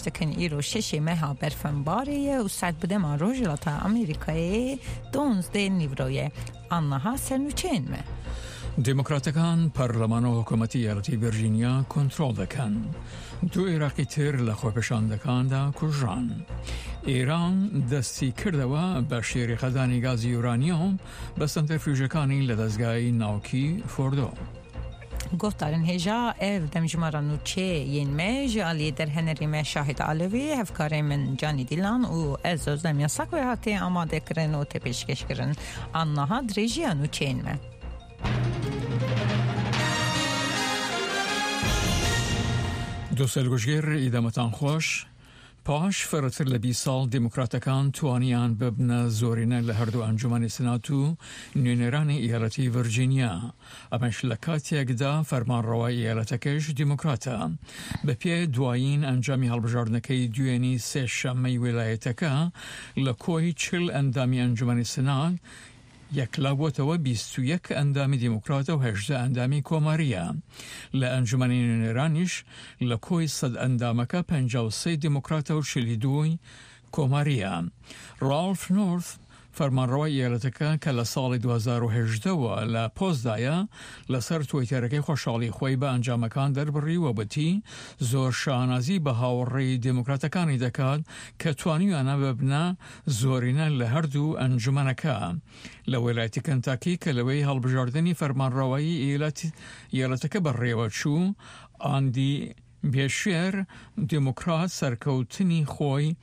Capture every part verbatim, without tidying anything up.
dikin îro şeşê meha berfenbarê ye û saet bi dema Rojhilata Amerîkayê donzdeh nîvro ye. Anniha sernûçeyên me. دیموکراتەکان پەرلەمان و حکوومەتی ئیالەتی ڤێرجینیا کۆنترۆڵ دەکەن. دوو عێراقی تر لە خۆپێشاندەکاندا کوژران. ئێران دەستی کردەوە بە شێریقەدانی گازی یورانیۆم بە سەنتەرفیوژەکانی لە دەستگای ناوکی فۆردۆ. Guhdarên hêja ev demjimara nûçeyên me ji aliyê derhenerê me Şahid Alevî, hevkarê min Canî Dîlan û ez Özlem Yasak ve hatiye amadekirin û tê pêşkêşkirin. Anniha dirêjiya nûçeyên me. دووسەر گوشگێر ئیدەمەتان خۆش. پاش فرەتر لە بیست ساڵ دیموکراتەکان توانیان ببنە زۆرینە لە هەردوو ئەنجومەنی سنات و نوێنەرانی ئیالەتی ڤرجینیا. ئەمەش لە کاتێکدا فەرمانڕەوای ئیالەتەکەش دیموکراتە. بەپێ دوایین ئەنجامی هەڵبژاردنەکەی دوێنی سێشەممەی ویلایەتەکە لە کۆی چل ئەندامی ئەنجومەنی سنات یەکلا بووەتەوە بیست و یەک ئەندامی دیموکراتە و هەژدە ئەندامی کۆماریە. لە ئەنجومەنی نوێنەرانیش لە کۆی سەد ئەندامەکە پەنجا و سێ دیموکراتە و چلی دووی کۆماریە. ڕاڵف نۆرث فەرمانڕەوای ئیالەتەکە کە لە ساڵی دوو هەزار و هەژدەوە لە پۆستدایە لەسەر تویتەرەکەی خۆشحاڵی خۆی بە ئەنجامەکان دەربڕی و وتی زۆر شانازی بە هاوڕێی دیموکراتەکانی دەکات کە توانیویانە ببنە زۆرینە لە هەردوو ئەنجومەنەکە. لە ویلایەتی کنتاکی کە لەوەی هەڵبژاردنی فەرمانڕەوایی ئیالەتەکە بەڕێوە چوو، ئاندی بێشێر دیموکرات سەرکەوتنی خۆی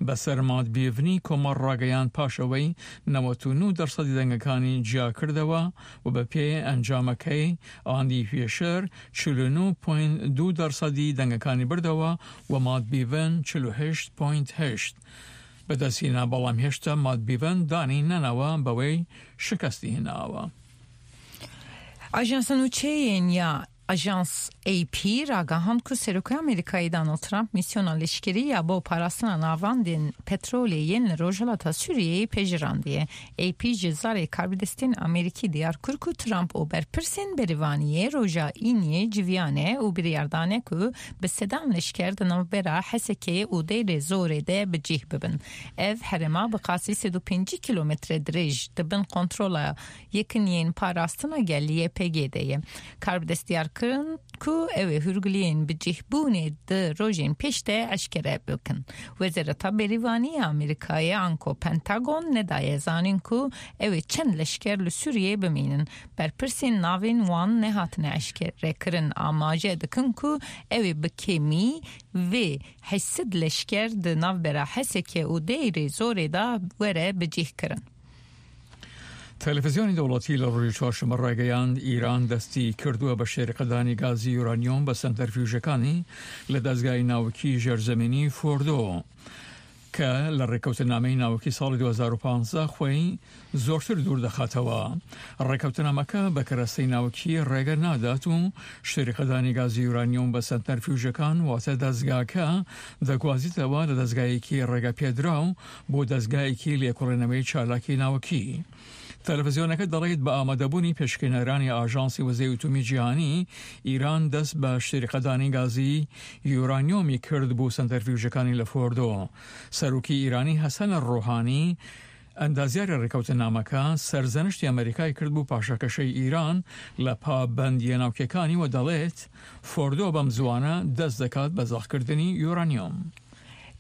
بەسەر مات بیڤنی کۆمار ڕاگەیان پاشەوەی نەوەت و نۆ دەرسەدی دەنگەکانی جیاکردەوە و بە پێ ئەنجامەکەی ئاندی پێشەر چل و نۆ پوینت دوو دەرسەدی دەنگەکانی بردەوە و مات بیڤن چل و هەشت پوینت هەشت بەدەستهێنا، بەڵام هێشتا مات بیڤن دانی نەناوە بەوەی شکستی هێناوە. ئاژانسە nûçeyên ya Ajans A P ragihand ku Serokê Amerîkayê Donald Trump misyona leşkerî ya bo parastina navendên petrolê yên li Rojhilata Sûriyeyê pejirandiye. A P ji zarê karbidestên Amerîkî diyar kir ku Trump û berpirsên berivaniyê roja Îniyê civiyane û biryardane ku bi sedan leşker di navbera Hesekê û Deyrê Zorê de bi cih bibin. Ev herêma bi qasî sed û pêncî kîlometre dirêj di bin kontrola yekîniyên parastina gel Y P G de ye. Karbidest diyar kirin ku ew ê hûrgiliyên bi cihbûnê di rojên pêş de eşkere bikin. Wezareta Berîvanî ya Amerîkayê anko Pentagon nedaye zanîn ku ew ê çend leşker li Sûriyeyê bimînin. Berpirsên navên wan nehatine eşkerekirin amaje dikin ku ew ê bi kêmî vê heşt sed leşker di navbera Hesekê û Deyrê Zorê de were bicihkirin. تەلەڤیزیۆنی دەوڵەتی لە ڕۆژی چوارشەممە ڕایگەیاند ئیران دەستی کردووە بە شێرقەدانی گازی یورانیۆم بە سەنتەرفیوژەکانی لە دەستگای ناوکی ژێرزەمینی فۆردۆ کە لە ڕێکەوتنامەی ناوکی ساڵی دوو هەزار و پازدە خۆی زۆرتر دوور دەخاتەوە. ڕێکەوتنامەکە بە کەرەستەی ناوکی ڕێگە نادات و شێرقەدانی گازی یورانیۆم بە سەنتەرفیوژەکان واتە دەستگاکە دەگوازیتەوە لە دەستگایەکی ڕێگە پێدراو بۆ دەستگایەکی لێکۆڵینەوەی چالاکی ناوکی. تەلەڤیزیۆنەکە دەڵێت بە ئامادەبوونی پێشکێنەرانی ئاژانسی وزەی ئەتۆمی جیهانی ئیران دەست بە شێرقەدانی گازی یورانیۆمی کرد بۆ سەنتەرفیوژەکانی لە فۆردۆ. سەرۆکی ئیرانی حەسەن ڕۆحانی ئەندازیاری ڕێکەوتنامەکە سەرزەنشتی ئەمریکای کرد بوو پاشەکەشەی ئیران لە پابەندیە ناوکیەکانی و دەڵێت فۆردۆ بەم زوانە دەست دەکات بە زەقکردنی یورانیۆم.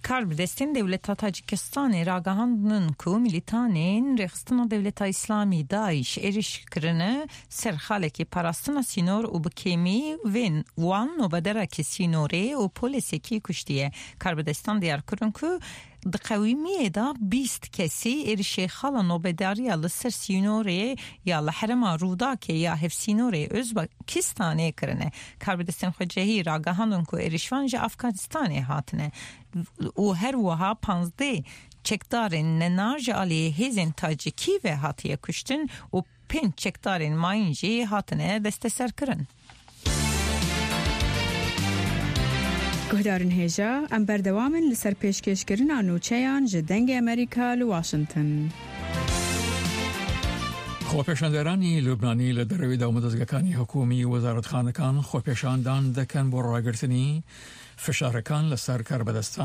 Karbidestên Dewleta Tacikistanê ragihandin ku milîtanên Rêxistina Dewleta Îslamî Daiş êriş kirine ser xalekê parastina sînor û bi kêmî vên wan nobederekî sînorê û polîsekî kuştiye. Karbidestan diyar kirin ku di qewîmiyê de bîst kesî êrişê xala nobedariya li ser sînorê ya li herêma Rûdakê ya hevsînorê Özbekistanê kirine. Karbidestên xwecihî ragihandin ku êrişvan ji Afganistanê hatine û her wiha panzdeh çekdarên nenar ji aliyê hêzên Tacikî ve hatiye kuştin û pênc çekdarên mayîn jî hatine desteserkirin. Guhdarên hêja, em berdewam in li ser pêşkêşkirina nûçeyan ji Dengê Amerîka li Washington. خۆپێشاندەرانی لوبنانی لە دەرەوەی داومەدەستگەکانی حکومی وەزارەتخانەکان خۆپێشاندان دەکەن بۆ ڕاگرتنی فشارەکان لەسەر کاربەدەستان